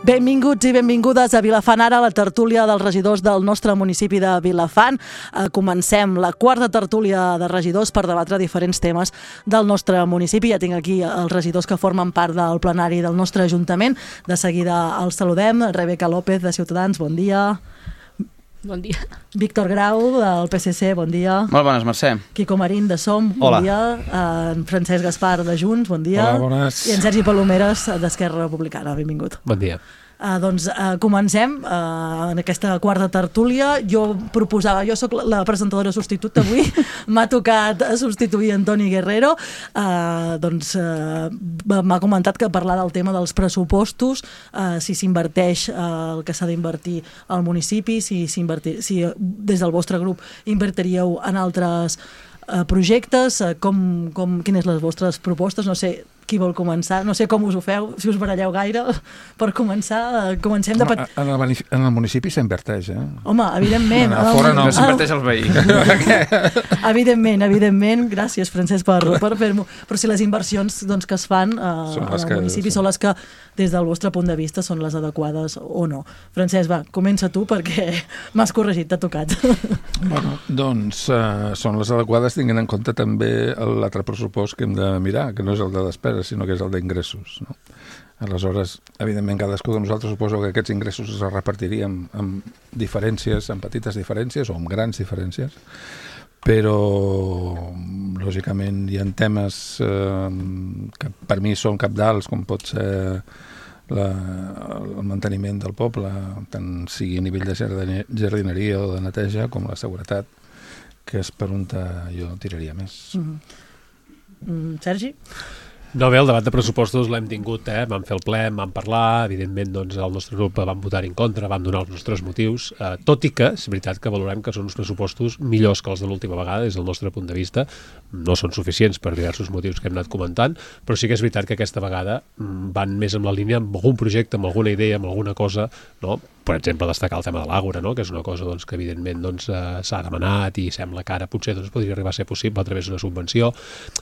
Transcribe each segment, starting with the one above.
Benvinguts i benvingudes a Vilafant Ara, la tertúlia dels regidors del nostre municipi de Vilafant. Comencem la quarta tertúlia de regidors per debatre diferents temes del nostre municipi. Ja tinc aquí els regidors que formen part del plenari del nostre ajuntament. De seguida els saludem. Rebeca López, de Ciutadans, bon dia. Bon dia. Víctor Grau, del PSC, bon dia. Molt bones, Mercè. Quico Marín, de Som, bon dia. En Francesc Gaspar, de Junts, bon dia. Hola, bones. I en Sergi Palomeres, d'Esquerra Republicana, benvingut. Bon dia. Comencem en aquesta quarta tertúlia. Jo soc la presentadora substituta avui, m'ha tocat substituir Antoni Guerrero. M'ha comentat que parlar del tema dels pressupostos, si s'inverteix el que s'ha d'invertir al municipi, si des del vostre grup invertiríeu en altres projectes, quines les vostres propostes, no sé qui vol començar, no sé com us ho feu, si us baralleu gaire per començar. Comencem de... En el municipi s'inverteix, Home, evidentment. A fora no. S'inverteix als veïns. Evidentment, gràcies Francesc per fer-m'ho, però si les inversions que es fan al municipi són les que des del vostre punt de vista són les adequades o no. Francesc, va, comença tu perquè m'has corregit, t'ha tocat. Bueno, doncs són les adequades tinguent en compte també l'altre pressupost que hem de mirar, que no és el de despesa, sinó que és el d'ingressos, no? Aleshores, evidentment, cadascú de nosaltres suposo que aquests ingressos es repartiríem amb diferències, amb petites diferències o amb grans diferències, però lògicament hi ha temes que per mi són cabdals, com pot ser el manteniment del poble, tant sigui a nivell de jardineria o de neteja, com la seguretat, que és per on jo tiraria més. Sergi? No, bé, el debat de pressupostos l'hem tingut, vam fer el ple, vam parlar, evidentment doncs, el nostre grup vam votar en contra, vam donar els nostres motius, tot i que és veritat que valorem que són uns pressupostos millors que els de l'última vegada, des del nostre punt de vista, no són suficients per diversos motius que hem anat comentant, però sí que és veritat que aquesta vegada van més en la línia amb algun projecte, amb alguna idea, amb alguna cosa, no? Per exemple, destacar el tema de l'Àgora, no? Que és una cosa que evidentment s'ha demanat i sembla que ara potser podria arribar a ser possible a través d'una subvenció,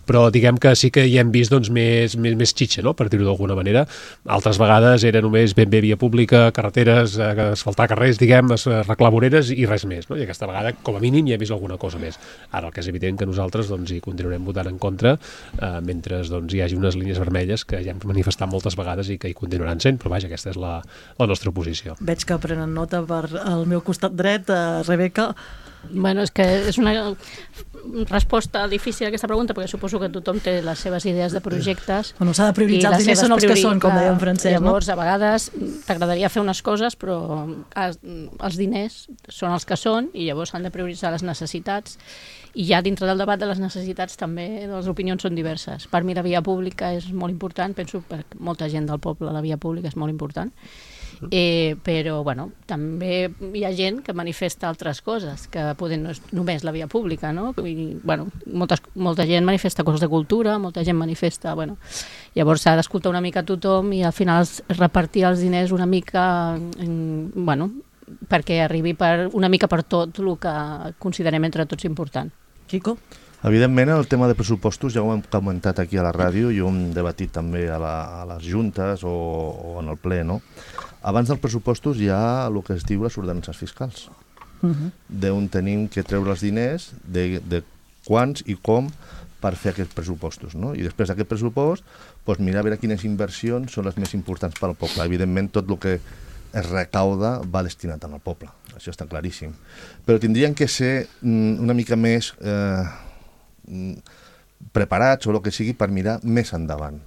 però diguem que sí que hi hem vist més xitxa, no? Per dir-ho d'alguna manera. Altres vegades era només ben bé via pública, carreteres, asfaltar carrers, arreglar voreres i res més, no? I aquesta vegada, com a mínim, hi hem vist alguna cosa més. Ara el que és evident que nosaltres hi continuarem votant en contra mentre hi hagi unes línies vermelles que ja hem manifestat moltes vegades i que hi continuaran sent, però vaja, aquesta és la nostra posició. Veig que prenen nota per al meu costat dret, Rebeca. Bueno, és que és una resposta difícil a aquesta pregunta, perquè suposo que tothom té les seves idees de projectes. Bueno, s'ha de prioritzar, els diners són els que són, com deia en Francesc, no? Llavors, a vegades t'agradaria fer unes coses, però els diners són els que són i llavors s'han de prioritzar les necessitats. I ja dintre del debat de les necessitats també les opinions són diverses. Per mi la via pública és molt important, penso per molta gent del poble la via pública és molt important, però bueno, també hi ha gent que manifesta altres coses, que poder no és només la via pública, no? I, bueno, molta gent manifesta coses de cultura, molta gent manifesta... Bueno, llavors s'ha d'escoltar una mica a tothom i al final repartir els diners una mica... Bueno, perquè arribi una mica per tot el que considerem entre tots important. Quico? Evidentment, el tema de pressupostos ja ho hem comentat aquí a la ràdio i ho hem debatit també a les juntes o en el ple, no? Abans dels pressupostos hi ha el que es diu les ordenances fiscals, d'on tenim que treure els diners, de quants i com per fer aquests pressupostos, no? I després d'aquest pressupost, mirar a veure quines inversions són les més importants per al poble. Evidentment, tot el que es recauda va destinat al poble, això està claríssim. Però tindrien que ser una mica més preparats o el que sigui per mirar més endavant.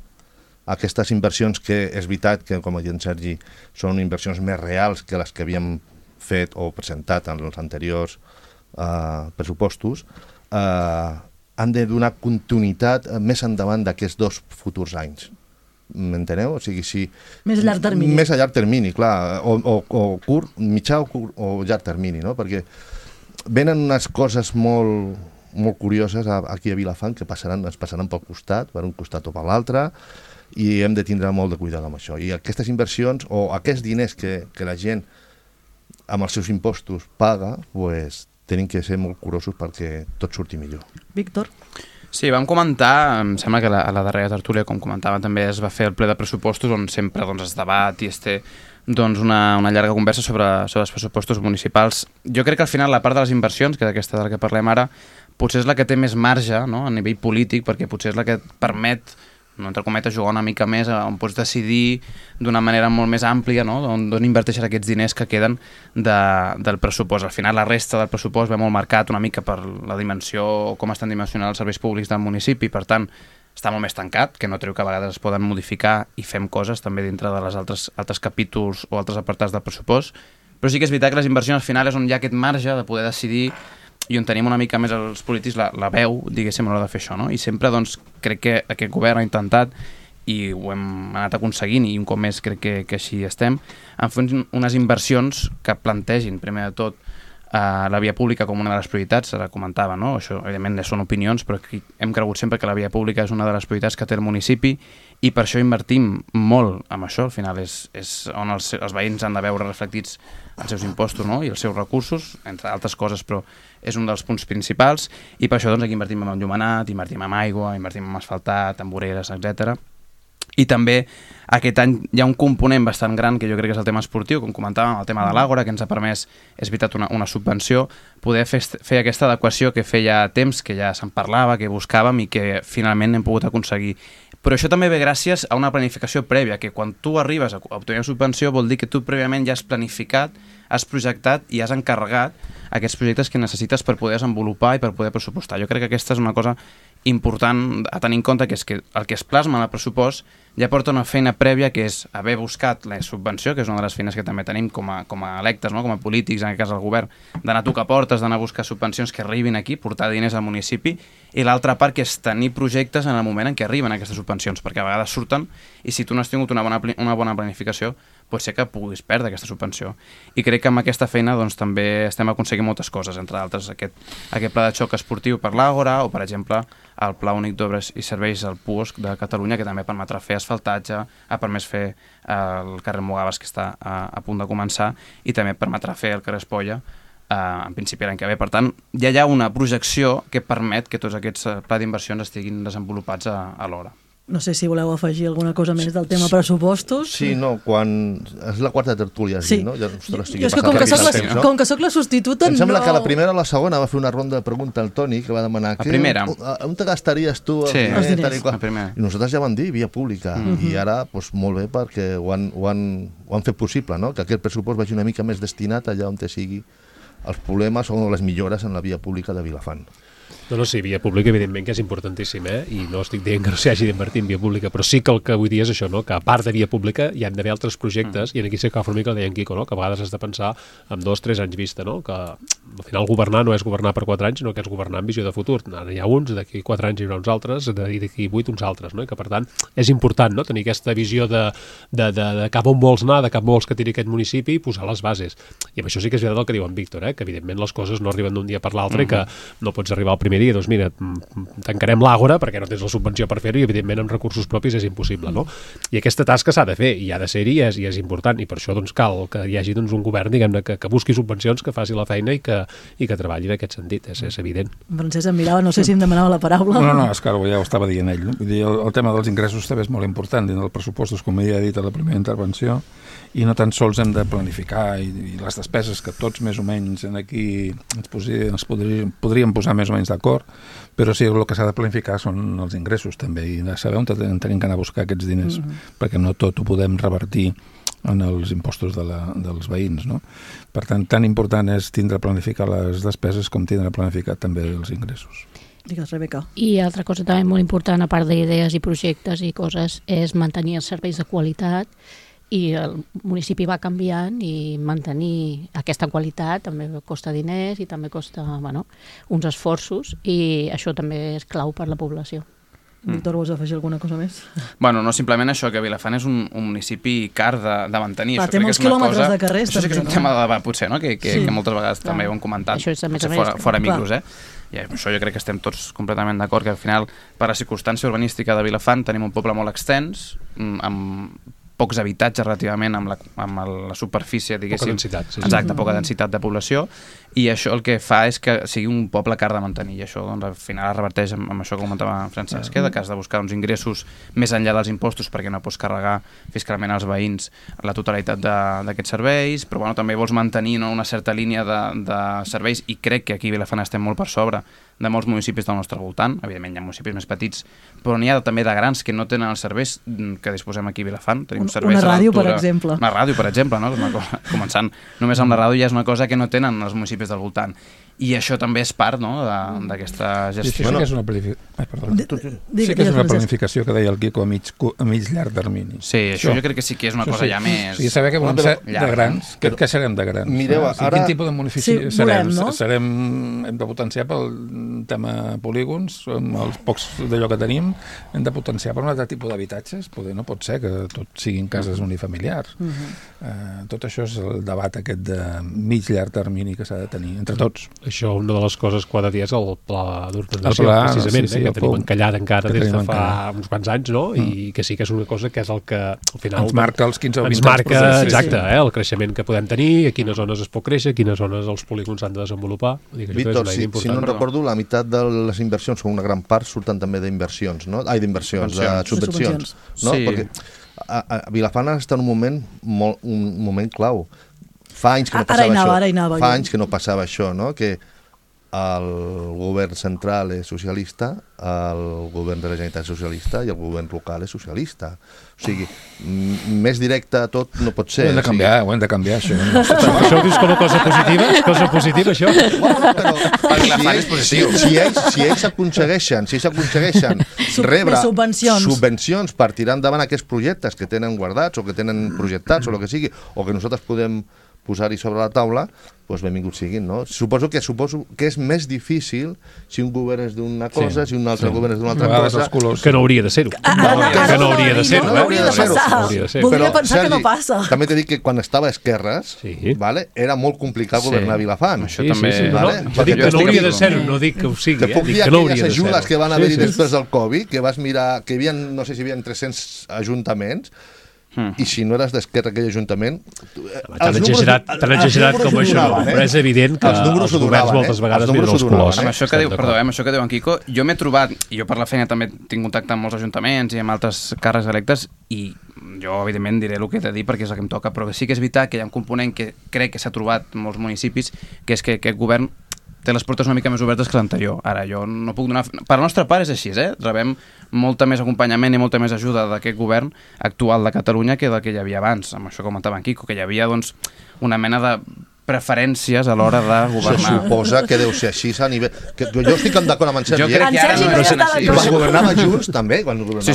Aquestes inversions que és veritat que, com ha dit en Sergi, són inversions més reals que les que havíem fet o presentat en els anteriors pressupostos, han de donar continuïtat més endavant d'aquests 2 futurs anys. M'enteneu? O sigui, si... Més a llarg termini. Més a llarg termini, clar. O curt, mitjà o llarg termini, no? Perquè venen unes coses molt curioses aquí a Vilafant que ens passaran pel costat, per un costat o per l'altre, i hem de tindre molt de cuidado amb això. I aquestes inversions o aquests diners que la gent amb els seus impostos paga, tenim que ser molt curosos perquè tot surti millor. Víctor? Sí, vam comentar, em sembla que a la darrera tertúlia, com comentava, també es va fer el ple de pressupostos on sempre es debat i es té una llarga conversa sobre els pressupostos municipals. Jo crec que al final la part de les inversions, que és aquesta de la que parlem ara, potser és la que té més marge, no?, a nivell polític, perquè potser és la que et permet, no, entre cometes, jugar una mica més, on pots decidir d'una manera molt més àmplia, no?, d'on inverteixes aquests diners que queden del pressupost. Al final la resta del pressupost ve molt marcat una mica per la dimensió o com estan dimensionats els serveis públics del municipi, per tant, està molt més tancat, que no treu que a vegades es poden modificar i fem coses també dintre de les altres capítols o altres apartats del pressupost, però sí que és veritat que les inversions al final és on hi ha aquest marge de poder decidir i on tenim una mica més els polítics la veu, diguéssim, a l'hora de fer això, no? I sempre, doncs, crec que aquest govern ha intentat, i ho hem anat aconseguint, i un cop més crec que així estem, en fer unes inversions que plantegin, primer de tot, la via pública com una de les prioritats, se la comentava, no? Això, evidentment, són opinions, però hem cregut sempre que la via pública és una de les prioritats que té el municipi i per això invertim molt en això. Al final és on els veïns han de veure reflectits els seus impostos, no?, i els seus recursos, entre altres coses, però és un dels punts principals i per això doncs, aquí invertim en enllumenat, invertim en aigua, invertim en asfaltat, en voreres, etc. I també aquest any hi ha un component bastant gran que jo crec que és el tema esportiu, com comentàvem, el tema de l'Àgora, que ens ha permès, és veritat, una subvenció, poder fer aquesta adequació que feia temps, que ja se'n parlava, que buscàvem i que finalment hem pogut aconseguir. Però això també ve gràcies a una planificació prèvia, que quan tu arribes a obtenir una subvenció vol dir que tu prèviament ja has planificat, has projectat i has encarregat aquests projectes que necessites per poder desenvolupar i per poder pressupostar. Jo crec que aquesta és una cosa important a tenir en compte, que és que el que es plasma en el pressupost ja porta una feina prèvia, que és haver buscat la subvenció, que és una de les feines que també tenim com a electes, no?, com a polítics, en aquest cas el govern, d'anar a tocar portes, d'anar a buscar subvencions que arribin aquí, portar diners al municipi, i l'altra part que és tenir projectes en el moment en què arriben aquestes subvencions, perquè a vegades surten i si tu no has tingut una bona planificació pot ser que puguis perdre aquesta subvenció. I crec que amb aquesta feina doncs, també estem aconseguint moltes coses, entre altres aquest pla de xoc esportiu per l'Àgora o, per exemple, el Pla Únic d'Obres i Serveis, el PUOSC de Catalunya, que també permetrà fer asfaltatge, ha permès fer el carrer Mogaves, que està a punt de començar, i també permetrà fer el carrer Espolla, en principi l'any que ve. Per tant, ja hi ha una projecció que permet que tots aquests plans d'inversions estiguin desenvolupats alhora. No sé si voleu afegir alguna cosa més del tema pressupostos. Sí, no, quan... És la quarta tertúlia, sí. No? Ja, ostres, jo és que com que soc la substituta... Em sembla que la primera o la segona va fer una ronda de pregunta al Toni, que va demanar... La primera. On te gastaries tu? Sí, els diners. I nosaltres ja vam dir via pública. I ara, doncs, molt bé, perquè ho han fet possible, no? Que aquest pressupost vagi una mica més destinat allà on te sigui els problemes o les millores en la via pública de Vilafant. No, sí, via pública evidentment que és importantíssim, i no estic dient que no s'hi hagi d'invertir en via pública, però sí que el que vull dir és això, no?, que a part de via pública hi han d'haver altres projectes, i aquí sí que fa una mica el deia en Quico, no?, que a vegades has de pensar en 2-3 anys vista, no?, que al final governar no és governar per 4 anys, sinó que és governar amb visió de futur. Ara hi ha uns, d'aquí 4 anys hi haurà uns altres, i d'aquí 8 uns altres, no?, i que per tant és important, no?, tenir aquesta visió de cap on vols anar, de cap vols que tiri aquest municipi i posar les bases. I amb això sí que és veritat el que diu en Víctor, que evidentment les coses no arriben d'un dia per l'altre i que no pots arribar al primer dia, doncs mira, tancarem l'Àgora perquè no tens la subvenció per fer-ho i evidentment amb recursos propis és impossible, no? I aquesta tasca s'ha de fer i ha de ser-hi i és important, i per això doncs cal que hi hagi doncs, un govern, diguem-ne, que busqui subvencions, que faci la feina i que treballi en aquest sentit, és evident. Francesc em mirava, no sé si em demanava la paraula. No, és que ja ho estava dient ell. Vull dir, el tema dels ingressos també és molt important dins dels pressupostos, com ja he dit a la primera intervenció, i no tan sols hem de planificar i les despeses que tots més o menys aquí ens podríem posar més o menys d'acord, però sí, el que s'ha de planificar són els ingressos també, i de saber on tenim que anar a buscar aquests diners, perquè no tot ho podem revertir en els impostos dels veïns, no? Per tant, tan important és tindre planificar les despeses com tindre planificat també els ingressos. Digues, Rebeca. I altra cosa també molt important, a part d'idees i projectes i coses, és mantenir els serveis de qualitat, i el municipi va canviant i mantenir aquesta qualitat també costa diners i també costa uns esforços, i això també és clau per la població. Víctor, vols afegir alguna cosa més? Bueno, no, simplement això, que Vilafant és un municipi car de mantenir. Té molts quilòmetres de carrers. Això sí que és un tema de debat, potser, no? que moltes vegades també ho hem comentat, fora micros, I això jo crec que estem tots completament d'acord, que al final, per la circumstància urbanística de Vilafant, tenim un poble molt extens, amb pocs habitatges relativament amb la superfície, diguéssim. Poca densitat. Exacte, poca densitat de població, i això el que fa és que sigui un poble car de mantenir, i això doncs, al final es reverteix amb això que comentava Francesc, que has de buscar uns ingressos més enllà dels impostos perquè no pots carregar fiscalment als veïns la totalitat d'aquests serveis, però bueno, també vols mantenir una certa línia de serveis, i crec que aquí a Vilafant estem molt per sobre de molts municipis del nostre voltant. Evidentment hi ha municipis més petits, però n'hi ha també de grans que no tenen els serveis que disposem aquí a Vilafant. Tenim serveis una ràdio, per exemple. Una ràdio, per exemple, no? Començant només amb la ràdio ja és una cosa que no tenen els municipis del voltant. I això també és part, no?, d'aquesta gestió. Sí que és una planificació que deia el Quico a mig llarg termini. Sí, això jo crec que sí que és una cosa ja més... Sí, saber que volem ser de grans, que serem de grans. Mireu, ara... Quin tipus de municipi serem? No? Hem de potenciar pel tema polígons, amb els pocs d'allò que tenim, hem de potenciar per un altre tipus d'habitatges. No pot ser que tot siguin cases unifamiliars. Tot això és el debat aquest de mig llarg termini que s'ha de tenir entre tots. Això, una de les coses que ha de dir és el pla d'ordenació, precisament, que tenim encallat encara des de fa uns quants anys, no? I que sí que és una cosa que és el que al final... Ens marca els 15 o 20 anys. Ens marca, exacte, el creixement que podem tenir, a quines zones es pot créixer, a quines zones els polígons s'han de desenvolupar. Víctor, si no recordo, la meitat de les inversions, o una gran part, surten també d'inversions, no? De subvencions. No? Sí. Perquè a Vilafant està en un moment clau. Fa anys que no passava això, no? Que el govern central és socialista, el govern de la Generalitat és socialista i el govern local és socialista. O sigui, més directe a tot no pot ser. Ho hem de canviar, això. Això ho dius com a cosa positiva? És cosa positiva, això? Si ells aconsegueixen rebre subvencions per tirar endavant aquests projectes que tenen guardats o que tenen projectats o el que sigui, o que nosaltres podem posar-hi sobre la taula, doncs benvinguts siguin, no? Suposo que és més difícil si un govern és d'una cosa, si un altre govern és d'una altra cosa. Que no hauria de ser-ho. Que no hauria de ser-ho. No hauria de passar. Voldria pensar que no passa. També t'he dit que quan estava a Esquerres, era molt complicat governar Vilafant. Això també... Jo dic que no hauria de ser-ho, no dic que ho sigui. Te puc dir aquelles ajudes que van haver-hi després del Covid, que vas mirar, que hi havia, no sé si hi havia 300 ajuntaments, i si no eres d'Esquerra aquell ajuntament... Tan exagerat com això, però és evident que els governs moltes vegades miren els colors. Amb això que diu en Quico, jo m'he trobat, i jo per la feina també tinc contacte amb molts ajuntaments i amb altres càrrecs electes, i jo evidentment diré el que he de dir perquè és el que em toca, però sí que és veritat que hi ha un component que crec que s'ha trobat en molts municipis, que és que aquest govern té les portes una mica més obertes que l'anterior. Ara, jo no puc donar... Per la nostra part és així, rebem molta més acompanyament i molta més ajuda d'aquest govern actual de Catalunya que del que hi havia abans, amb això que comentava en Quico, que hi havia doncs, una mena de preferències a l'hora de governar. Se suposa que deu ser així a nivell... Jo estic d'acord amb en Sergi. Jo crec que ara no és així. I quan governava Junts, també. Junts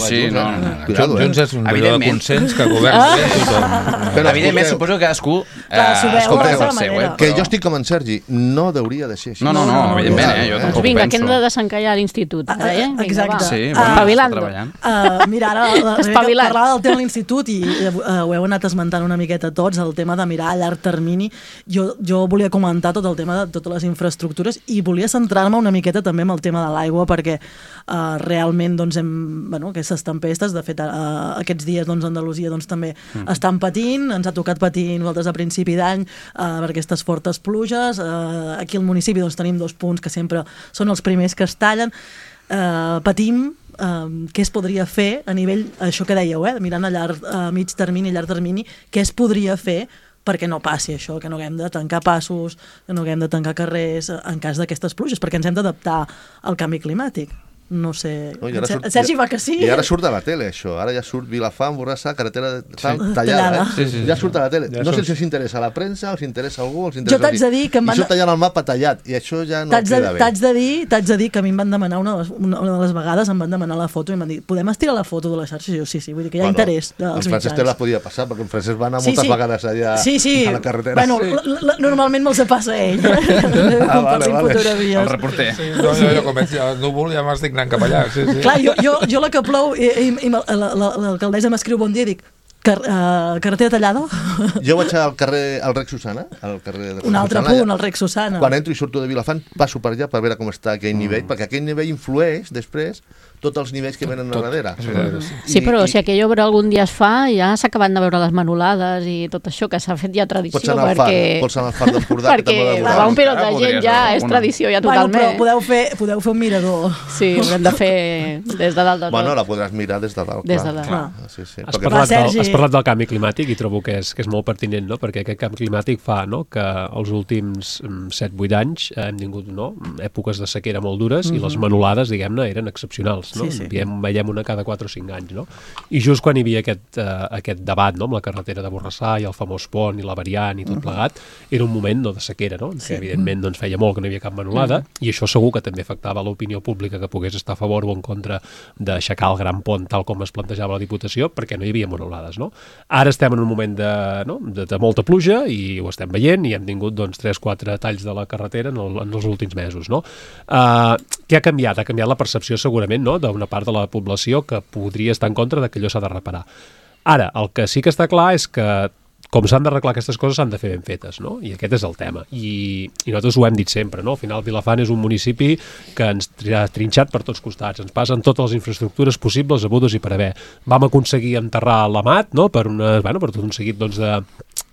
és un allò de consens que governa tothom. Evidentment, suposo que cadascú escolteu el seu. Que jo estic com en Sergi, no hauria de ser així. No, evidentment, jo tampoc ho penso. Vinga, que hem de desencallar l'institut. Exacte. Espavilando. Mira, ara parlava del tema de l'institut i ho heu anat esmentant una miqueta tots, el tema de mirar a llarg termini. Jo volia comentar tot el tema de totes les infraestructures i volia centrar-me una miqueta també en el tema de l'aigua perquè realment doncs, aquestes tempestes, de fet aquests dies doncs, Andalusia doncs, també estan patint, ens ha tocat patir nosaltres a principi d'any per aquestes fortes pluges, aquí al municipi doncs, tenim 2 punts que sempre són els primers que es tallen, patim què es podria fer a nivell, això que dèieu, mirant a mig termini, a llarg termini, què es podria fer perquè no passi això, que no haguem de tancar passos, que no haguem de tancar carrers en cas d'aquestes pluges, perquè ens hem d'adaptar al canvi climàtic. No sé... Sergi va que sí. I ara surt de la tele, això. Ara ja surt Vilafant, Borrassà, carretera tallada. Ja surt a la tele. No sé si us interessa a la premsa o si interessa a algú. Jo t'haig de dir que I surt tallant el mapa tallat, i això ja no queda bé. T'haig de dir que a mi em van demanar, una de les vegades em van demanar la foto i em van dir, podem estirar la foto de la xarxa? I jo, sí, vull dir que hi ha interès dels mitjans. En Francesc te la podia passar, perquè en Francesc va anar moltes vegades allà a la carretera. Bueno, normalment me'ls passa ell. El reporter. Jo com veig el núvol ja m'estic anant cap allà, Clar, jo la que plou i l'alcaldessa m'escriu bon dia i dic, Carretera tallada? Jo vaig al carrer, al Rec Susana, al carrer de Un altre Susana, punt, el Rec Susana. Quan entro i surto de Vilafant, passo per allà per veure com està aquell nivell, perquè aquell nivell influeix després tots els nivells que venen a darrere. Sí, però si aquella obra algun dia es fa, ja s'acaben de veure les manolades i tot això, que s'ha fet ja tradició. Pots anar al far, pots anar al far d'Empordà. Perquè va un pilot de gent ja és tradició ja totalment. Bueno, però podeu fer un mirador. Sí, haurem de fer des de dalt de tot. Bueno, la podràs mirar des de dalt. Des de dalt. Sí, sí. Has parlat del canvi climàtic i trobo que és molt pertinent, no? Perquè aquest canvi climàtic fa, no?, que els últims 7-8 anys hem tingut, no?, èpoques de sequera molt dures i les manolades, diguem-ne, eren excepcionals, no? Sí. Veiem una cada 4 o 5 anys, no? I just quan hi havia aquest debat, no?, amb la carretera de Borrassà i el famós pont i la variant i tot plegat, era un moment, no?, de sequera, no?, que evidentment doncs, feia molt que no hi havia cap manolada i això segur que també afectava l'opinió pública que pogués estar a favor o en contra d'aixecar el gran pont tal com es plantejava la Diputació, perquè no hi havia manolades, no? Ara estem en un moment de molta pluja i ho estem veient i hem tingut doncs, 3-4 talls de la carretera en els últims mesos, no? Què ha canviat? Ha canviat la percepció segurament, no?, d'una part de la població que podria estar en contra de que allò s'ha de reparar. Ara, el que sí que està clar és que com s'han d'arreglar aquestes coses s'han de fer ben fetes, no? I aquest és el tema. I nosaltres ho hem dit sempre, no? Al final Vilafant és un municipi que ens ha trinxat per tots costats, ens passen totes les infraestructures possibles, hagudes i per haver. Vam aconseguir enterrar l'Amat, no?, per tot un seguit doncs,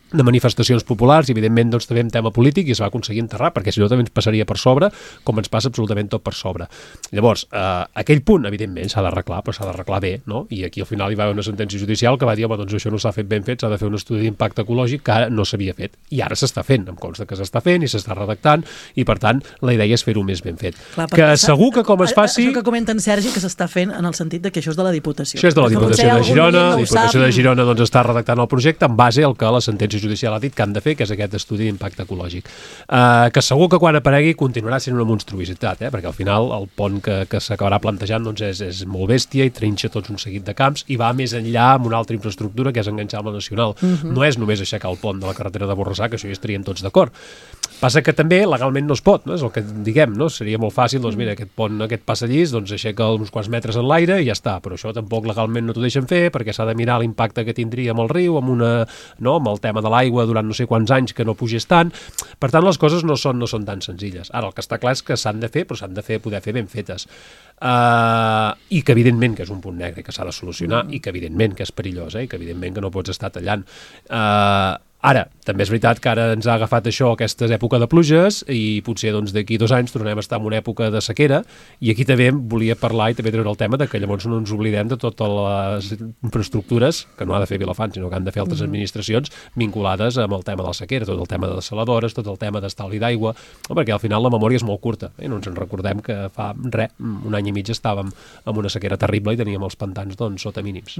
de manifestacions populars i evidentment doncs, també en tema polític i es va aconseguir enterrar perquè si no també ens passaria per sobre com ens passa absolutament tot per sobre. Llavors, aquell punt evidentment s'ha d'arreglar però s'ha d'arreglar bé, no? I aquí al final hi va haver una sentència judicial que va dir home, doncs això no s'ha fet ben fet, s'ha de fer un estudi d'impacte ecològic que ara no s'havia fet i ara s'està fent, em consta que s'està fent i s'està redactant i per tant la idea és fer-ho més ben fet. Clar, que segur que com es faci... Això que comenta en Sergi que s'està fent en el sentit de que això és de la Diputació. Això és de la Diputació de Girona, la Diputació de Girona doncs, està redactant el projecte en base al que la sentència judicial ha dit que han de fer, que és aquest estudi d'impacte ecològic. Que segur que quan aparegui continuarà sent una monstruositat, perquè al final el pont que s'acabarà plantejant doncs, és molt bèstia i trinxa tots un seguit de camps i va més enllà amb una altra infraestructura que és enganxar amb la nacional. No és només aixecar el pont de la carretera de Borrassà, que això ja estaríem tots d'acord. Passa que també legalment no es pot, no? És el que diguem, no? Seria molt fàcil, doncs mira, aquest pont, aquest passadís, doncs aixeca uns quants metres en l'aire i ja està, però això tampoc legalment no t'ho deixen fer perquè s'ha de mirar l'impacte que tindria amb el riu, amb el tema de l'aigua durant no sé quants anys que no pugés tant. Per tant, les coses no són tan senzilles. Ara, el que està clar és que s'han de fer, però s'han de poder fer ben fetes. I que evidentment que és un punt negre que s'ha de solucionar i que evidentment que és perillós i que evidentment que no pots estar tallant. Ara, també és veritat que ara ens ha agafat això aquestes èpoques de pluges i potser doncs, d'aquí 2 anys tornem a estar en una època de sequera i aquí també volia parlar i també treure el tema de que llavors no ens oblidem de totes les infraestructures que no ha de fer Vilafant, sinó que han de fer altres administracions vinculades amb el tema de la sequera, tot el tema de les saladores, tot el tema d'estalvi d'aigua, perquè al final la memòria és molt curta i no ens en recordem que fa un any i mig estàvem amb una sequera terrible i teníem els pantans doncs, sota mínims.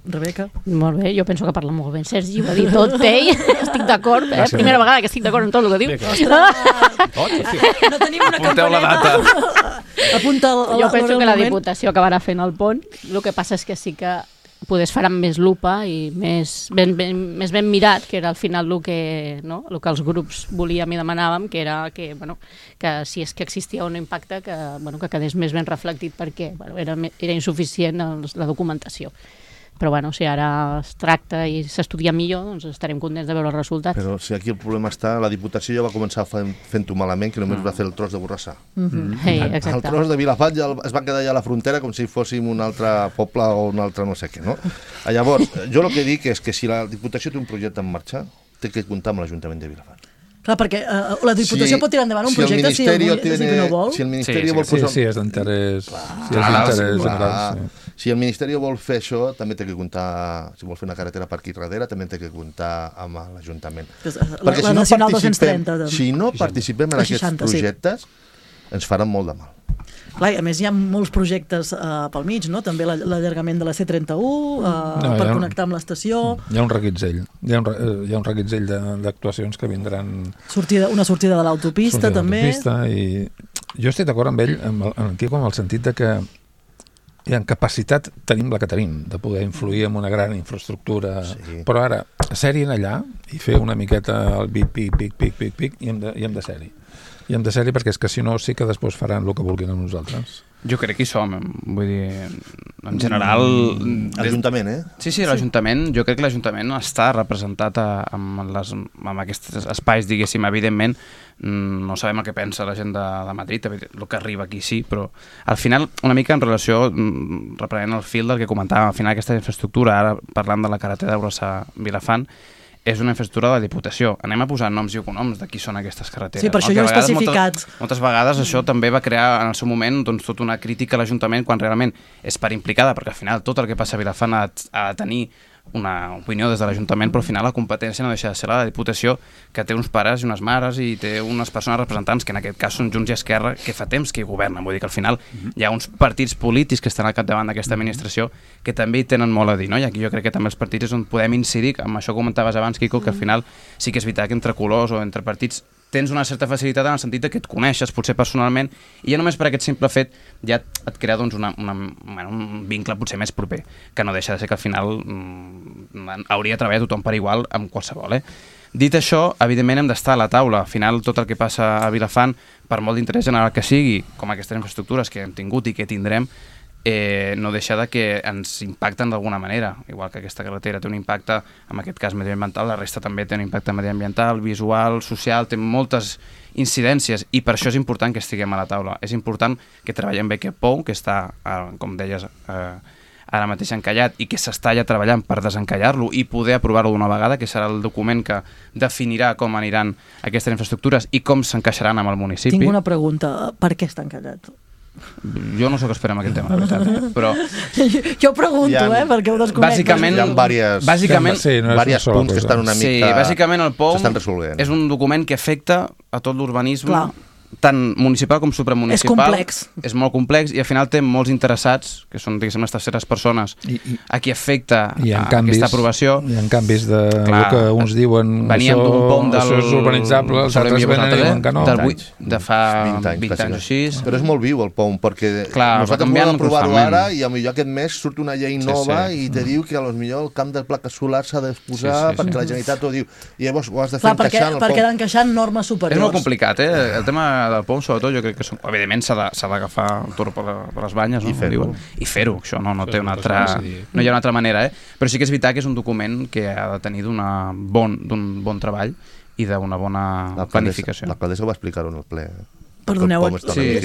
Rebeca? Molt bé, jo penso que parla molt bé. Sergi ho ha dit tot, estic d'acord, primera vegada que estic d'acord amb tot el que diu. No tenim una campaneta. Apunta jo penso que la Diputació acabarà fent el pont, el que passa és que sí que es farà amb més lupa i més ben mirat, que era al final el que els grups volíem i demanàvem, que era que si és que existia un impacte que quedés més ben reflectit perquè era insuficient la documentació. Però si ara es tracta i s'estudia millor, doncs estarem contents de veure els resultats. Però si aquí el problema està, la Diputació ja va començar fent-ho malament, que només va fer el tros de Borrassà. El tros de Vilafant ja es va quedar ja a la frontera com si fóssim un altre poble o un altre no sé què, no? Llavors, jo el que dic és que si la Diputació té un projecte en marxa, té que comptar amb l'Ajuntament de Vilafant. Clar, perquè la Diputació pot tirar endavant un projecte si no vol. Si el Ministeri vol posar... Sí, és d'interès. Si el Ministeri vol fer això, també té que comptar, si vol fer una carretera per aquí darrere, també té que comptar amb l'Ajuntament. La Nacional 230. Si no participem en aquests projectes, ens faran molt de mal. Clar, a més hi ha molts projectes pel mig, no? També l'allargament de la C31 per connectar amb l'estació. Hi ha un reguitzell. Hi ha un reguitzell d'actuacions que vindran... Una sortida de l'autopista, també. I jo estic d'acord amb ell, amb el Quico, en el sentit de que en capacitat tenim la que tenim, de poder influir en una gran infraestructura, però ara, ser-hi allà i fer una miqueta el pic, i hem de ser-hi. I hem de ser-hi perquè és que si no sí que després faran el que vulguin amb nosaltres. Jo crec que hi som, vull dir, en general... L'Ajuntament, Sí, l'Ajuntament, jo crec que l'Ajuntament està representat amb aquests espais, diguéssim, evidentment, no sabem el que pensa la gent de Madrid, el que arriba aquí sí, però al final, una mica en relació, reprenent el fil del que comentàvem, al final aquesta infraestructura, ara parlant de la carretera d'Urassa-Vilafant, és una infraestructura de la Diputació. Anem a posar noms i cognoms de qui són aquestes carreteres. Sí, per això jo he especificat. Moltes vegades això també va crear en el seu moment doncs, tota una crítica a l'Ajuntament quan realment és part implicada, perquè al final tot el que passa a Vilafant ha de tenir una opinió des de l'Ajuntament, però al final la competència no deixa de ser la Diputació, que té uns pares i unes mares i té unes persones representants, que en aquest cas són Junts i Esquerra, que fa temps que hi governen. Vull dir que al final hi ha uns partits polítics que estan al capdavant d'aquesta administració que també hi tenen molt a dir, no? I aquí jo crec que també els partits és on podem incidir, amb això que comentaves abans, Quico, que al final sí que és veritat que entre colors o entre partits tens una certa facilitat en el sentit que et coneixes, potser personalment, i ja només per aquest simple fet ja et crea doncs, un vincle potser més proper, que no deixa de ser que al final hauria de treballar tothom per igual amb qualsevol. Dit això, evidentment hem d'estar a la taula. Al final tot el que passa a Vilafant, per molt d'interès general que sigui, com aquestes infraestructures que hem tingut i que tindrem, no deixa de que ens impacten d'alguna manera, igual que aquesta carretera té un impacte, en aquest cas mediambiental, la resta també té un impacte mediambiental, visual, social, té moltes incidències i per això és important que estiguem a la taula. És important que treballem bé aquest pou, que està, com deies, ara mateix encallat i que s'està ja treballant per desencallar-lo i poder aprovar-lo d'una vegada, que serà el document que definirà com aniran aquestes infraestructures i com s'encaixaran amb el municipi. Tinc una pregunta, per què està encallat? Jo no sé què esperem aquest tema, la veritat, però... Jo pregunto, perquè ho desconec. Bàsicament, hi ha diversos punts que estan una mica... Sí, bàsicament el POM s'estan resolent. És un document que afecta a tot l'urbanisme, tant municipal com supramunicipal. És complex. És molt complex i al final té molts interessats, que són, diguéssim, les terceres persones, a qui afecta aquesta aprovació. Hi ha canvis de el que uns diuen veníem d'un POM això és urbanitzable, els altres venen i diuen que no. De fa 20 anys o així. Però és molt viu el POM, perquè nosaltres volem aprovar-ho ara i potser aquest mes surt una llei nova i te diu que potser el camp de plaques solars s'ha d'exposar perquè la Generalitat ho diu. I llavors ho has de fer encaixant el POM. Perquè d'encaixar en normes superiors. És molt complicat, el tema del POM, sobretot, jo crec que evidentment s'ha d'agafar el toro per les banyes, no? I fer-ho, això no té una altra... No hi ha una altra manera, però sí que és veritat que és un document que ha de tenir d'un bon treball i d'una bona planificació. L'alcaldessa ho va explicar en el ple. Perdoneu,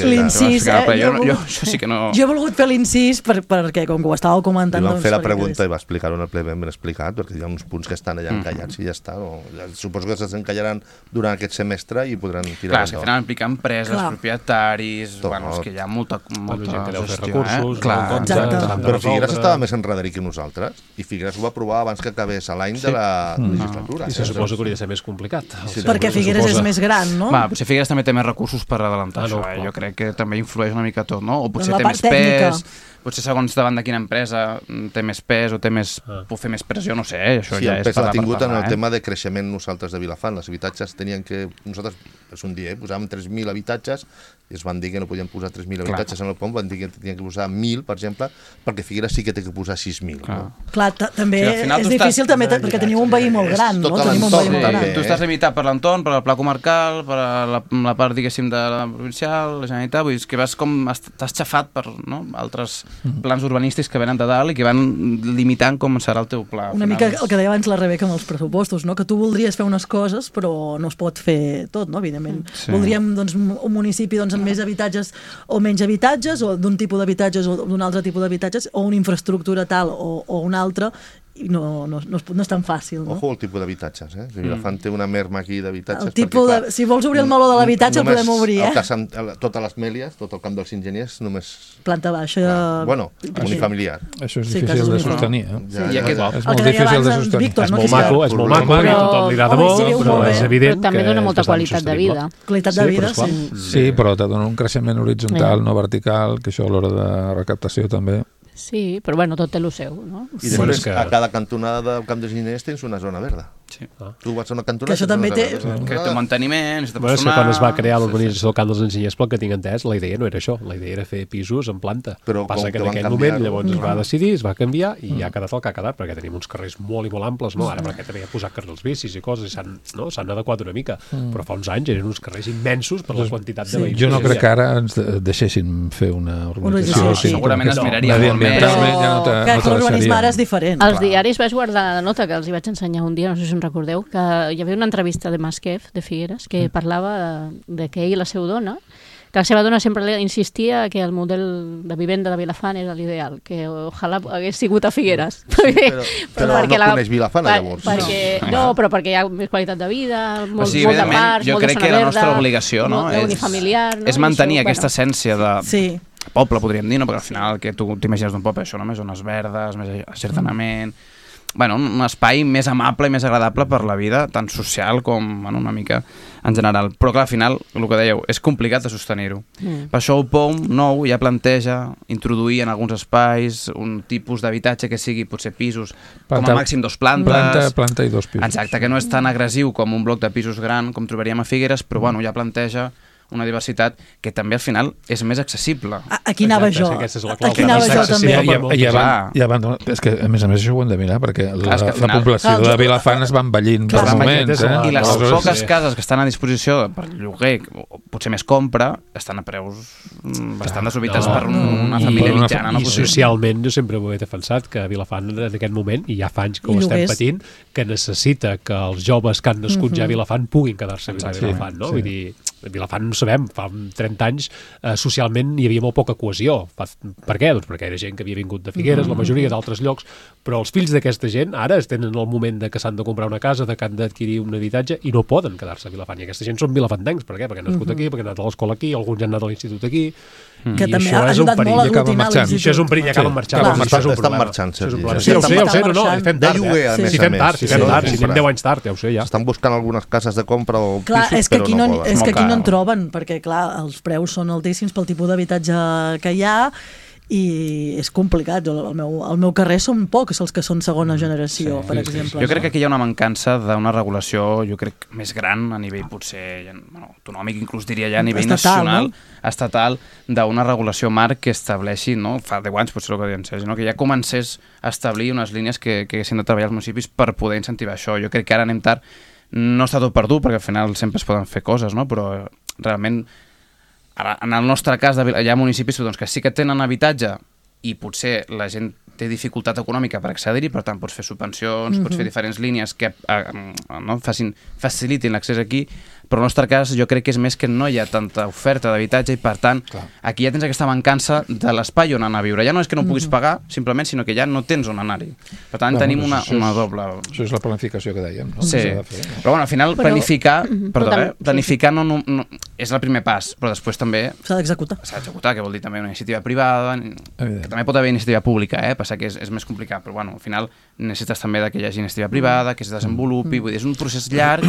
l'incís, jo sí que no... Jo he volgut fer l'incís perquè, com que ho estàveu comentant... Li vam fer la pregunta i va explicar-ho en el ple ben explicat, perquè hi ha uns punts que estan allà encallats i ja està. Suposo que s'encallaran durant aquest semestre i podran tirar endavant. Clar, és que al final implica empreses, propietaris... Bueno, és que hi ha molta gent que deu fer gestió, recursos... Però Figueres estava més enredadí que nosaltres i Figueres ho va aprovar abans que acabés l'any de la legislatura. I se suposa que hauria de ser més complicat. Perquè Figueres és més gran, no? Potser Figueres també té més recursos per adelantar això, jo crec que també influeix una mica tot, no? O potser té més pes, potser segons davant de quina empresa té més pes o pot fer més pressió, no sé, això ja és per l'ha tingut en el tema de creixement nosaltres de Vilafant. Els habitatges tenien que... Nosaltres, és un dia, posàvem 3.000 habitatges i es van dir que no podien posar 3.000 habitatges en el POM, van dir que tenien que posar 1.000, per exemple, perquè Figueres sí que té que posar 6.000. Clar, també és difícil també perquè tenim un veí molt gran, no? Tu estàs limitat per l'entorn, per el pla comarcal, per la part, diguéssim, de la provincial, la Generalitat, vull dir que vas com... T'has xafat per altres plans urbanístics que venen de dalt i que van limitant com serà el teu pla. Una mica el que deia abans la Rebeca amb els pressupostos, que tu voldries fer unes coses però no es pot fer tot, evidentment. Voldríem un municipi amb més habitatges o menys habitatges, o d'un tipus d'habitatges o d'un altre tipus d'habitatges, o una infraestructura tal o una altra, i no és tan fàcil, no? Ojo al tipus d'habitatges, Vilafant té una merma aquí d'habitatges. Si vols obrir el meló de l'habitatge el podem obrir, Totes les Mèlies, tot el camp dels enginyers, només... Planta baixa... Bueno, unifamiliar. Això és difícil de sostenir, És molt difícil de sostenir. És molt maco, i a tothom li agrada molt, però és evident que... També dona molta qualitat de vida. Qualitat de vida, sí. Sí, però te dona un creixement horitzontal, no vertical, que això a l'hora de recaptació també... Sí, però bueno, tot té el seu, no? I després a cada cantonada del camp dels enginyers tens una zona verda. Sí. Tu vas a una cantonada... Que això també té... Que té manteniment, és de Bueno, és que personal... quan es va crear l'urbanització del Camp dels Enginyers, pel que tinc entès, la idea no era això, la idea era fer pisos en planta. Però passa com que que en van aquell canviar, moment llavors es va decidir, es va canviar i ha quedat el que ha quedat, perquè tenim uns carrers molt i molt amples, no? Ara perquè també hi ha posat carrils bicis i coses, i s'han adequat una mica, però fa uns anys eren uns carrers immensos per la quantitat de veïns. Jo no crec que ara ens deixessin fer una urbanització. No, així. segurament es miraria molt més. Però que l'urbanisme ara és diferent. Els diaris vaig guardar la nota que els hi vaig ensenyar un dia, no sé si us en recordeu, que hi havia una entrevista de Masquef, de Figueres, que parlava de que ell i la seva dona, que la seva dona sempre insistia que el model de vivenda de Vilafant era l'ideal, que ojalà hagués sigut a Figueres. Però no coneix Vilafant, llavors. Però perquè hi ha més qualitat de vida, molt de parcs, jo molt de crec zona que la verda, nostra obligació, no? unifamiliar, no? És mantenir aquesta essència de... Sí. poble, podríem dir, no? Perquè al final el que tu t'imagines d'un poble, això, no? Més zones verdes, més acertanament... Bueno, un espai més amable i més agradable per la vida, tant social com una mica en general. Però clar, al final, el que dèieu, és complicat de sostenir-ho. Per això el POM nou ja planteja introduir en alguns espais un tipus d'habitatge que sigui potser pisos, com a màxim 2 plantes. Planta i 2 pisos. Exacte, que no és tan agressiu com un bloc de pisos gran com trobaríem a Figueres, però bueno, ja planteja una diversitat que també al final és més accessible. Aquí anava jo. Aquí anava jo també. És que a més això ho hem de mirar perquè la final, població de Vilafant es va envellint per moments. I les poques cases que estan a disposició per lloguer, o potser més compra, estan a preus bastant desorbitats per una família mitjana. I socialment jo sempre ho he defensat, que Vilafant en aquest moment, i ja fa anys que ho estem patint, que necessita que els joves que han nascut ja a Vilafant puguin quedar-se a Vilafant, no? Vull dir, a Vilafant no sabem, fa 30 anys socialment hi havia molt poca cohesió. Per què? Doncs perquè era gent que havia vingut de Figueres, la majoria d'altres llocs, però els fills d'aquesta gent ara tenen el moment de que s'han de comprar una casa, de que han d'adquirir un habitatge i no poden quedar-se a Vilafant. I aquesta gent són vilafantencs. Per què? Perquè han nascut aquí, perquè han anat a l'escola aquí, alguns han anat a l'institut aquí. Que també ha ajudat molt a aglutinar l'institut. Això és un perill, acaben marxant. Estan marxant, Sergi. Sí, ho sé, no, fem tard. Si fem tard, si anem 10 anys tard, ja ho sé, ja. Estan buscant algunes cases de compra o pisos, però no poden. És que aquí no en troben, perquè clar, els preus són altíssims pel tipus d'habitatge que hi ha i és complicat. Al meu carrer són pocs els que són segona generació, per exemple. Jo crec que aquí hi ha una mancança d'una regulació, jo crec, més gran a nivell potser autonòmic, inclús diria ja a nivell nacional, estatal, d'una regulació marc que estableixi, no? Fa 10 anys potser el que deien Sergi, que ja comencés a establir unes línies que haguessin de treballar els municipis per poder incentivar això. Jo crec que ara anem tard, no està tot perdut, perquè al final sempre es poden fer coses, no? Però realment ara, en el nostre cas, hi ha municipis que sí que tenen habitatge i potser la gent té dificultat econòmica per accedir-hi, per tant pots fer subvencions, pots fer diferents línies que facilitin l'accés aquí, però en el nostre cas jo crec que és més que no hi ha tanta oferta d'habitatge i per tant aquí ja tens aquesta mancança de l'espai on anar a viure. Ja no és que no puguis pagar simplement, sinó que ja no tens on anar-hi. Per tant tenim una doble... Això és la planificació que dèiem, no? Sí, però bueno, al final planificar no és el primer pas, però després també s'ha d'executar. S'ha d'executar, que vol dir també una iniciativa privada, que també pot haver iniciativa pública, passa que és més complicat, però bueno, al final necessites també que hi hagi iniciativa privada, que es desenvolupi, vull dir, és un procés llarg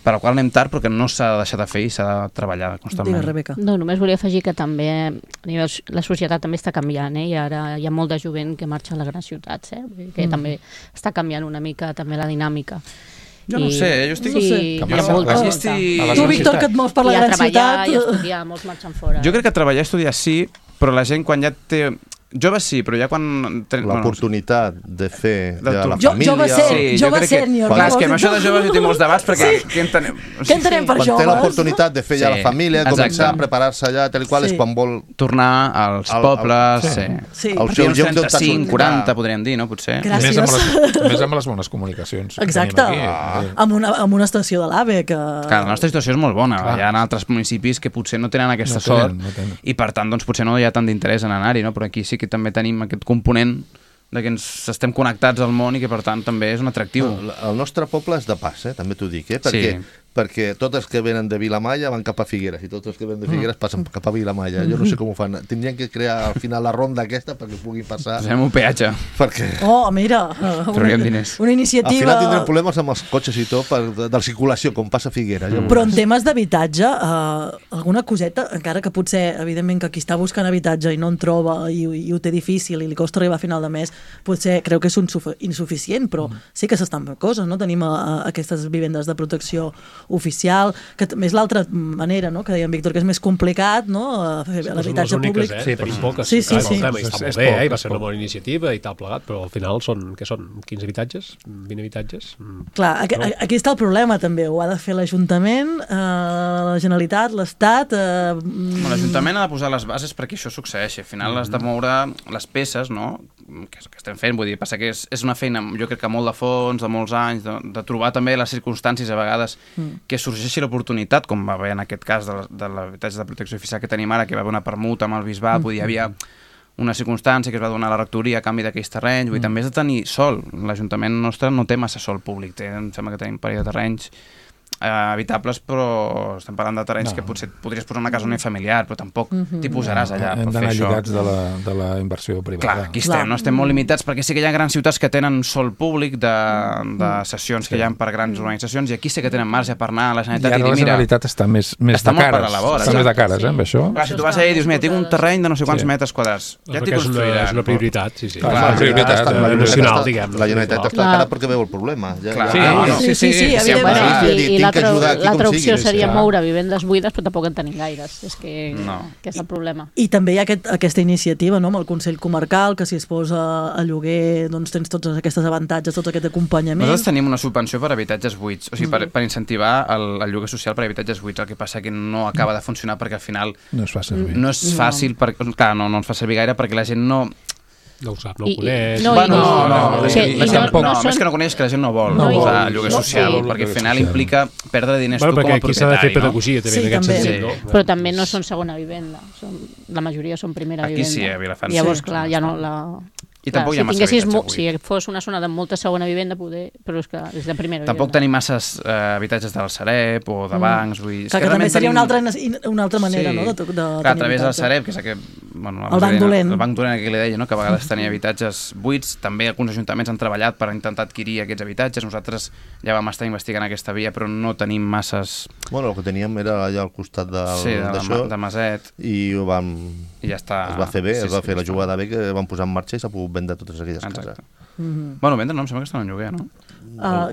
per al qual anem tard, però que no s'ha de deixar de fer i s'ha de treballar constantment. Digues, Rebeca. No, només volia afegir que també la societat també està canviant, i ara hi ha molt de jovent que marxa a les grans ciutats, que també està canviant una mica també la dinàmica. Jo no sé, jo estic... Tu, Víctor, que et mous per la gran ciutat... I a estudiar, molts marxen fora. Jo crec que treballar i estudiar sí, però la gent quan ja té... Joves sí, però ja quan... L'oportunitat de fer de la família... Jove sènior. Clar, és que amb això de joves jo tinc molts debats, perquè què entenem? Què entenem per joves? Quan té l'oportunitat de fer ja la família, començar a preparar-se allà, tal i qual, és quan vol... Tornar als pobles, al seu lloc d'on 35, 40, podríem dir, no? Potser. Gràcies. Més amb les bones comunicacions. Exacte. Amb una estació de l'AVE que... Clar, la nostra situació és molt bona. Hi ha altres municipis que potser no tenen aquesta sort i, per tant, potser no hi ha tant d'interès en anar-hi, no? Però aquí sí que també tenim aquest component de que ens estem connectats al món i que per tant també és un atractiu. El nostre poble és de pas, també t'ho dic, perquè perquè tots els que venen de Vilamalla van cap a Figueres i tots els que venen de Figueres passen cap a Vilamalla. Jo no sé com ho fan. Tindrien que crear al final la ronda aquesta perquè puguin passar. Posem un peatge. Perquè Oh, mira, Trauríem diners. una al iniciativa... final tindrem problemes amb els cotxes i tot de la circulació, com passa a Figueres. Ja Però en temes d'habitatge, alguna coseta, encara que potser, evidentment, que qui està buscant habitatge i no en troba i ho té difícil i li costa arribar a final de mes, potser creu que és insuficient, però sí que s'estan fent coses, no? Tenim aquestes vivendes de protecció oficial, que també és l'altra manera, no? Que deia en Víctor, que és més complicat, no? Fer l'habitatge públic. Sí, tenim poques. Sí, sí, Clar, sí. Està molt bé, i va ser una bona iniciativa i tal plegat, però al final són 15 habitatges? 20 habitatges? Clar, aquí està el problema també, ho ha de fer l'Ajuntament, la Generalitat, l'Estat... L'Ajuntament ha de posar les bases perquè això succeeixi. Al final has de moure les peces, no?, que estem fent, vull dir, passa que és una feina, jo crec que molt de fons, de molts anys, de trobar també les circumstàncies a vegades que sorgeixi l'oportunitat, com va haver en aquest cas de l'habitatge de protecció oficial que tenim ara, que va haver una permuta amb el bisbat, vull dir, hi havia una circumstància que es va donar a la rectoria a canvi d'aquells terrenys, vull dir, també has de tenir sol. L'Ajuntament nostre no té massa sol públic, em sembla que tenim un parell de terrenys habitables, però estem parlant de terrenys que potser podries posar una casa unifamiliar, però tampoc t'hi posaràs allà Hem per fer d'anar això. lligats de la inversió privada. Clar, aquí estem, no? Estem molt limitats perquè sí que hi ha grans ciutats que tenen sol públic de sessions que hi ha per grans organitzacions i aquí sí que tenen marge per anar a la I Generalitat ara i la dir, mira, Generalitat està més està de molt per cares. a la vora, Està més de exacte, cares, amb això. clar, si tu vas allà i dius, mira, tinc un terreny de no sé quants metres quadrats, ja t'hi Perquè construiran. és una prioritat, sí. Clar, Clar, és una prioritat nacional, diguem. La Generalitat està cara perquè veu el problema. Clar, Sí, no, sí, evidentment. Bueno, i l'altra opció seria clar. moure vivendes buides, però tampoc en tenim gaires. És que és el problema. I també hi ha aquesta iniciativa, no?, amb el Consell Comarcal, que si es posa a lloguer doncs tens tots aquests avantatges, tot aquest acompanyament. Nosaltres tenim una subvenció per habitatges buits, o sigui, per incentivar el lloguer social per habitatges buits, el que passa que no acaba de funcionar perquè al final No es fa servir. no és fàcil, clar, no ens fa servir gaire perquè la gent no No ho sap, no ho coneix. més que no coneix, que la gent no vol usar lloguer social, perquè al final implica perdre diners tu com a perquè aquí s'ha de fer propietari, no? pedagogia també en aquest sentit, no? Però també no són segona vivenda. La majoria són primera Aquí vivenda. sí, a Vilafant sí. Llavors, clar, ja no... I tampoc hi ha massa habitatge buit. Si fos una zona de molta segona vivenda, poder, però és que és de primera Tampoc vivenda. tenim masses habitatges del Sareb o de bancs. Vull dir, Que també seria una altra manera, no?, de tenir a través del habitatge. Sareb, que és aquest... Bueno, El banc dolent. El banc dolent que li deia, no?, que a vegades tenia habitatges buits. També alguns ajuntaments han treballat per intentar adquirir aquests habitatges. Nosaltres ja vam estar investigant aquesta via, però no tenim masses... Bueno, el que teníem era allà al costat d'això de Maset. I ho vam... I ja està. Es va fer bé, es va fer la jugada bé, que vam posar en marxa i s'ha pogut vendre totes aquelles cases. Bueno, vendre no, em sembla que estan en lloguer, no?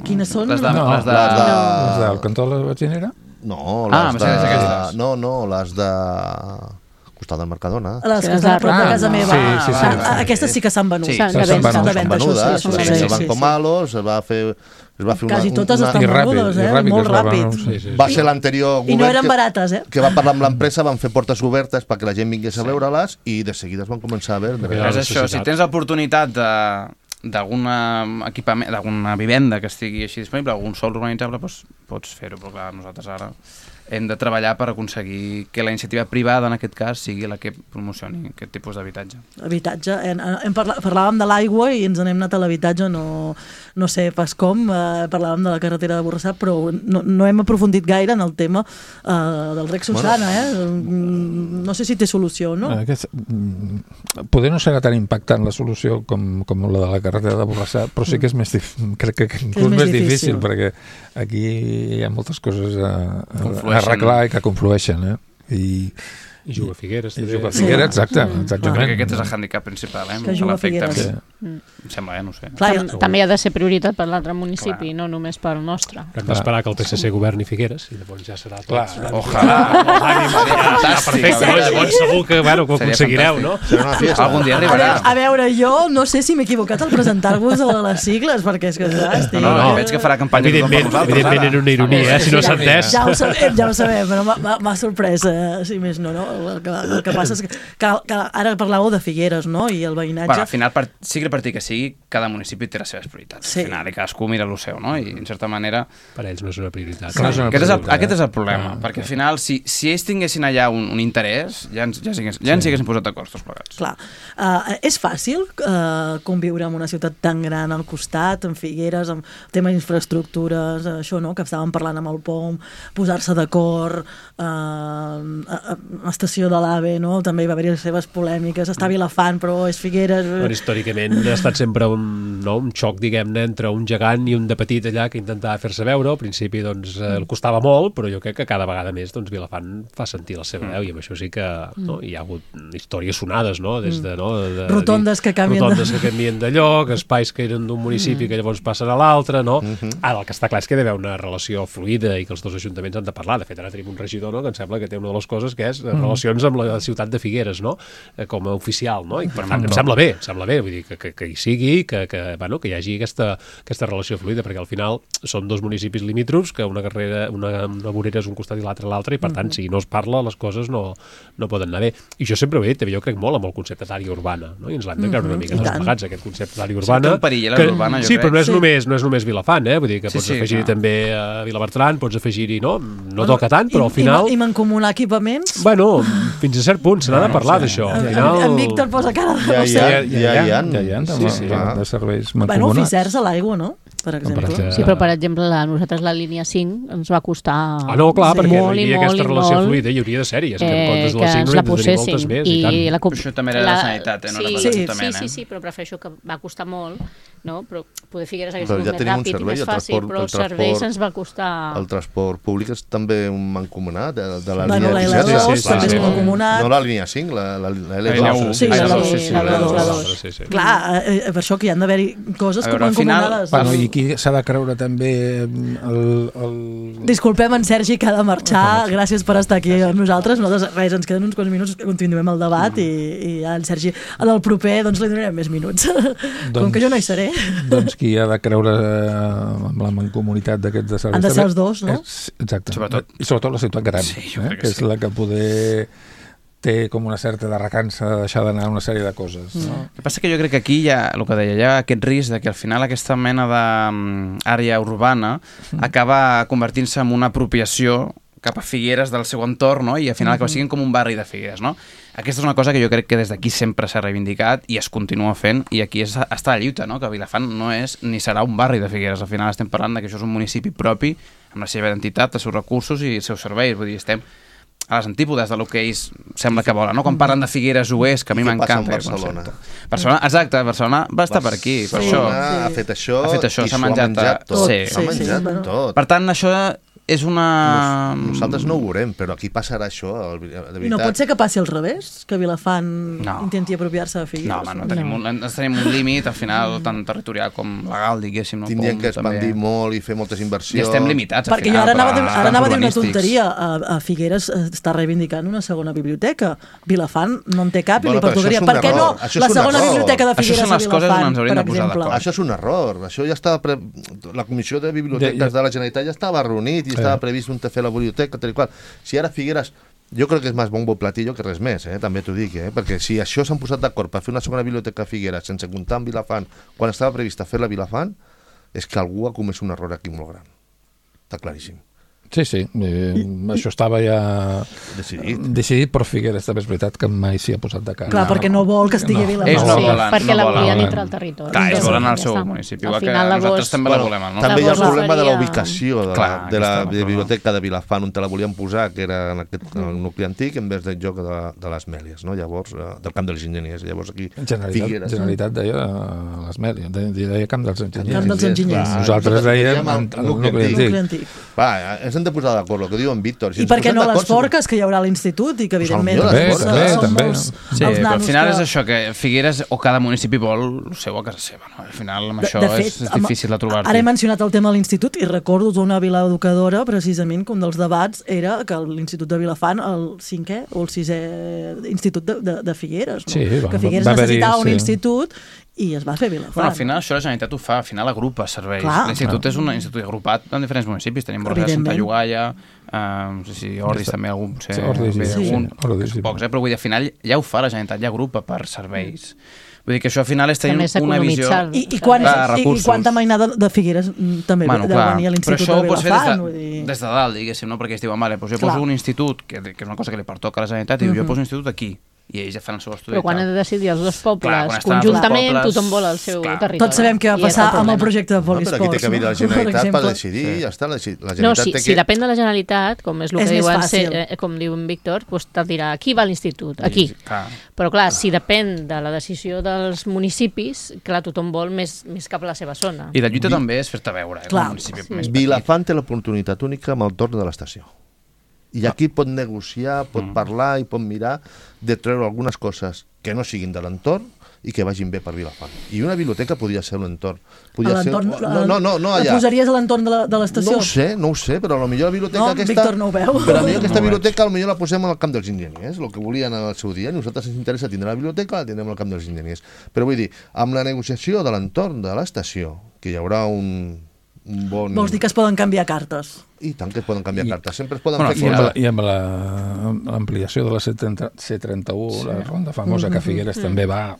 Quines són? Les de... No, les de... Les del cantó de la Batxinera? No, Ah, les em sembla que és de... aquestes. No, les de... costat del Mercadona. Les que estan a prop de casa meva. Sí. Aquestes sí que s'han venut. Sí, S'han de S'han vendre. de vendre, això venudes, sí. el Banco Malo, es va fer Quasi totes estan I ràpid, venudes, i ràpid molt es va ràpid. venir, sí. Va ser l'anterior I no eren govern barates, que va parlar amb l'empresa, van fer portes obertes perquè la gent vingués a veure-les i de seguida es van començar a veure. Ja. És això, si tens l'oportunitat d'alguna equipament, d'alguna vivenda que estigui així disponible, algun sòl urbanitzable, doncs pots fer-ho, però clar, nosaltres ara hem de treballar per aconseguir que la iniciativa privada, en aquest cas, sigui la que promocioni aquest tipus d'habitatge. Habitatge. Parlàvem de l'aigua i ens n'hem anat a l'habitatge, no sé pas com, parlàvem de la carretera de Borrassà, però no hem aprofundit gaire en el tema del rec Susana, No sé si té solució, no? Poder no serà tan impactant la solució com la de la carretera de Borrassà, però sí que és més crec que inclús més difícil, perquè aquí hi ha moltes coses a arreglar i que conflueixen, I juga a Figueres. I juga a Figueres, exactament. Perquè aquest és el hàndicap principal, Que juga a Figueres. Em sembla, no sé. També ha de ser prioritat per l'altre municipi, no només pel nostre. Hem d'esperar que el PSC governi Figueres i llavors ja serà tot. Ojalà. Perfecte, llavors segur que ho aconseguireu, no? Algun dia arribarà. A veure, jo no sé si m'he equivocat al presentar-vos a les sigles, perquè és que estic... No, veig que farà campanya Evidentment era una ironia, si no s'ha entès. Ja ho sabem, però m'ha sorprès, si més no. El que passa és que ara parlàveu de Figueres, no?, i el veïnatge... Bueno, al final, sigui el partit que sigui, cada municipi té les seves prioritats. Sí. Al final, i cadascú mira el seu, no? I, en certa manera... Per ells no és una prioritat. Aquest és el problema, perquè al final, si ells tinguessin allà un interès, ja ens haguessin posat d'acord tots plegats. Clar. És fàcil conviure en una ciutat tan gran al costat, en Figueres, amb tema d'infraestructures, això, no?, que estàvem parlant amb el POM, posar-se d'acord, estació de l'AVE, no?, també hi va haver les seves polèmiques, està a Vilafant, però és Figueres... Però històricament ha estat sempre un xoc, diguem-ne, entre un gegant i un de petit allà que intentava fer-se veure. Al principi, doncs, el costava molt, però jo crec que cada vegada més, doncs, Vilafant fa sentir la seva veu, i amb això sí que hi ha hagut històries sonades, no?, des de... rotondes que canvien de lloc, espais que eren d'un municipi que llavors passen a l'altre, no? Ara, el que està clar és que hi ha d'haver una relació fluida i que els dos ajuntaments han de parlar. De fet, ara tenim un regidor, no?, que em sembla que té una de les coses que és relacions amb la ciutat de Figueres, no?, com a oficial, no? I per tant, em sembla bé, vull dir, que hi sigui, que hi hagi aquesta relació fluida, perquè al final són dos municipis limítrofs, que una vorera és un costat i l'altre, i per tant, si no es parla, les coses no poden anar bé. I jo sempre ho he dit, jo crec molt amb el concepte d'àrea urbana, no? I ens l'hem de creure una mica tots plegats, aquest concepte d'àrea urbana. Sí, però no és només Vilafant, vull dir que pots afegir-hi també a Vilabertran, pots afegir-hi, no toca tant, però al final... I mancomunar equipaments? Bueno, fins a cert punt, se n'ha de parlar d'això. En Víctor posa cara de... Ja hi ha de serveis mancomunats. Bueno, oficers a l'aigua, no?, per exemple. Sí, però per exemple, nosaltres la línia 5 ens va costar no, clar, perquè molt hi havia aquesta relació fluida i hauria de ser-hi, és que en comptes de la 5 n'hi de tenir moltes més. Però això també era de la Sanitat, no era de l'Ajuntament. Sí, però prefereixo que va costar molt, no? Però poder Figueres hagués sigut més ràpid i més fàcil, però els serveis ens va costar... El transport públic és també un mancomunat de la línia 17. també és mancomunat. No la línia 5, la L2. Sí, la 2. Clar, per això que hi han d'haver-hi coses com mancomunades. I aquí s'ha de creure també Disculpem en Sergi, que ha de marxar. Gràcies per estar aquí amb nosaltres. Res, ens queden uns quants minuts que continuem el debat i en Sergi, en el proper, doncs li donarem més minuts. Com que jo no hi seré. Doncs qui ha de creure amb la mancomunitat d'aquests de serveis... Han de ser els dos, no? Exacte. I sobretot la ciutat gran, que és la que poder... té com una certa de recança de deixar d'anar una sèrie de coses. No? El que passa que jo crec que aquí hi ha, el que deia, hi ha aquest risc de que al final aquesta mena d'àrea urbana acaba convertint-se en una apropiació cap a Figueres del seu entorn, no? I al final acaba sent com un barri de Figueres, no? Aquesta és una cosa que jo crec que des d'aquí sempre s'ha reivindicat i es continua fent, i aquí està la lluita, no? Que Vilafant no és ni serà un barri de Figueres. Al final estem parlant que això és un municipi propi, amb la seva identitat, els seus recursos i els seus serveis. Vull dir, estem a les antípodes del que ells sembla que volen, no? Quan parlen de Figueres Oest, que a mi m'encanta. Barcelona, exacte, Barcelona va estar per aquí, per això. Ha fet això, s'ha menjat tot. S'ha menjat tot. Per tant, això és una... Nosaltres no ho veurem, però aquí passarà això, de veritat. I no pot ser que passi al revés? Que Vilafant intenti apropiar-se de Figueres? No, home, tenim un límit, al final, tant territorial com legal, diguéssim. Tindrien que expandir molt i fer moltes inversions. I estem limitats, al final. Perquè jo ara anava a dir una tonteria. A Figueres està reivindicant una segona biblioteca. Vilafant no en té cap i li pertocaria. Per què no la segona biblioteca de Figueres a Vilafant, per exemple? Això és un error. Això ja estava... La Comissió de Biblioteques de la Generalitat ja estava reunit i estava previst un fer la biblioteca, tal i qual. Si ara Figueres, jo crec que és més bombo platillo que res més, també t'ho dic, perquè si això s'han posat d'acord per fer una segona biblioteca a Figueres sense comptar amb Vilafant, quan estava prevista fer-la a Vilafant, és que algú ha comès un error aquí molt gran. Està claríssim. Sí. Això estava ja decidit, però Figueres també és veritat que mai s'hi ha posat de cara. Clar, perquè no vol que estigui a Vilafant. Perquè la volien dintre el territori. Clar, ells volen al seu municipi, igual que nosaltres també la volem. També hi ha el problema de la ubicació de la biblioteca de Vilafant, on te la volien posar, que era en aquest nucli antic, en vez del lloc de les Mèlies, llavors, del Camp dels Enginyers. Llavors aquí, Generalitat deia les Mèlies, deia Camp dels Enginyers. Camp dels Enginyers. Nosaltres dèiem el nucli antic. Va, ens hem de posar d'acord, el que diu en Víctor. I per què no les forques, que hi haurà a l'institut i que evidentment també. Sí, però al final és això, que Figueres o cada municipi vol el seu a casa seva, no? Al final amb això és difícil de trobar-ho. Ara he mencionat el tema de l'institut i recordo d'una vila educadora, precisament, que un dels debats era que l'Institut de Vilafant, el 5è o el 6è institut de Figueres, no? Que Figueres necessitava un institut i es va fer Vilafant. Bueno, al final això la Generalitat ho fa, al final agrupa serveis. L'institut és un institut agrupat en diferents municipis. Tenim Borja de Santa Llogaia, no sé si Ordis també algun, Ordis, pocs, però vull dir, al final ja ho fa la Generalitat, ja agrupa per serveis. Vull dir que això al final és tenir una visió I quanta mainada de Figueres també deu venir a l'Institut de Vilafant. Des de dalt, diguéssim, no? Perquè es diuen, vale, jo poso un institut, que és una cosa que li pertoca a la Generalitat, i jo poso un institut aquí, i ells ja fan el seu estudi. Però quan he de decidir els dos pobles conjuntament, tothom vol el seu territori. Tots sabem què va passar amb el projecte de Polisports. Però aquí té que venir la Generalitat per decidir, ja està. No, si depèn de la Generalitat, com és el que diuen, com diu en Víctor, te'l dirà, aquí va l'institut, aquí. Però clar, si depèn de la decisió dels municipis, clar, tothom vol més cap a la seva zona. I la lluita també és fer-te veure, un municipi més petit. Vilafant té l'oportunitat única amb el torn de l'estació. I aquí pot negociar, pot parlar i pot mirar de treure algunes coses que no siguin de l'entorn i que vagin bé per Vilafant. I una biblioteca podria ser l'entorn. La posaries a l'entorn de l'estació? No ho sé, però potser la biblioteca aquesta... Víctor no ho veu. Però potser aquesta biblioteca potser la posem al camp dels enginyers, el que volien al seu dia. A nosaltres ens interessa tindre la biblioteca, la tindrem al camp dels enginyers. Però vull dir, amb la negociació de l'entorn de l'estació, que hi haurà un bon... Vols dir que es poden canviar cartes? I tant que es poden canviar cartes. Sempre es poden fer... I amb l'ampliació de la C31, la ronda famosa que Figueres també va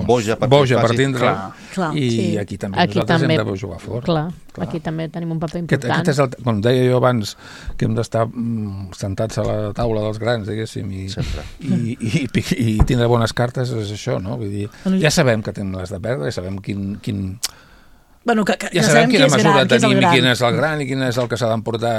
boja per tindre, i aquí també nosaltres hem de jugar fort. Clar, aquí també tenim un paper important. Com deia jo abans, que hem d'estar sentats a la taula dels grans, diguéssim, i tindre bones cartes, és això, no? Vull dir, ja sabem que tenim les de perdre, ja sabem quin... Ja sabem quina mesura tenim i quin és el gran i quin és el que s'ha d'emportar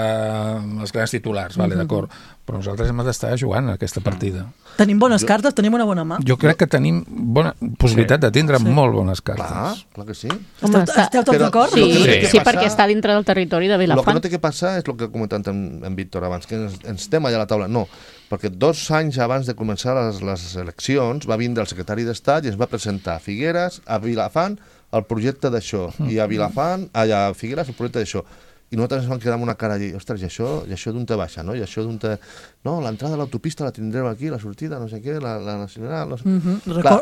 els grans titulars, d'acord, però nosaltres hem d'estar jugant aquesta partida. Tenim bones cartes, tenim una bona mà. Jo crec que tenim bona possibilitat de tindre molt bones cartes. Clar que sí. Esteu tots d'acord? Sí, perquè està dintre del territori de Vilafant. El que no té que passar és el que ha comentat en Víctor abans, que ens estem allà a la taula. No, perquè 2 anys abans de començar les eleccions va vindre el secretari d'Estat i ens va presentar a Figueres, a Vilafant, el projecte d'això, i a Vilafant, a Figueres, el projecte d'això. I nosaltres ens vam quedar amb una cara allí, ostres, i això d'on te baixa, no? I això d'on te... No, l'entrada de l'autopista la tindrem aquí, la sortida, no sé què, la nacional...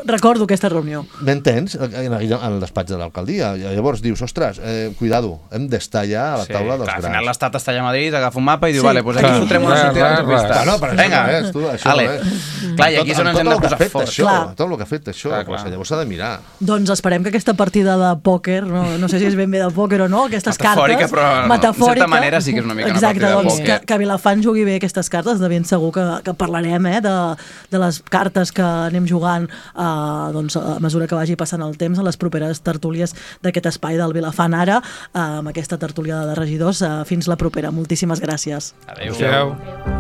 Recordo aquesta reunió. M'entens? En el despatx de l'alcaldia. Llavors dius, ostres, cuidado, hem d'estar ja a la taula dels grans. Al final l'Estat està allà a Madrid, agafa un mapa i diu, vale, doncs aquí fotrem una sortida de l'autopista. No, però això no és, tu, això no és. Clar, i aquí és on ens hem de posar fort. Tot el que ha fet això, llavors s'ha de mirar. Doncs esperem que aquesta partida de pòquer, no sé si és ben bé de pòquer o no, aquestes cartes... En certa manera sí que és una mica una partida de pòquer. Que Vilafant jugui bé aquestes cartes, de ben segur que parlarem de les cartes que anem jugant a mesura que vagi passant el temps a les properes tertúlies d'aquest espai del Vilafant Ara, amb aquesta tertúlia de regidors. Fins la propera. Moltíssimes gràcies. Adéu.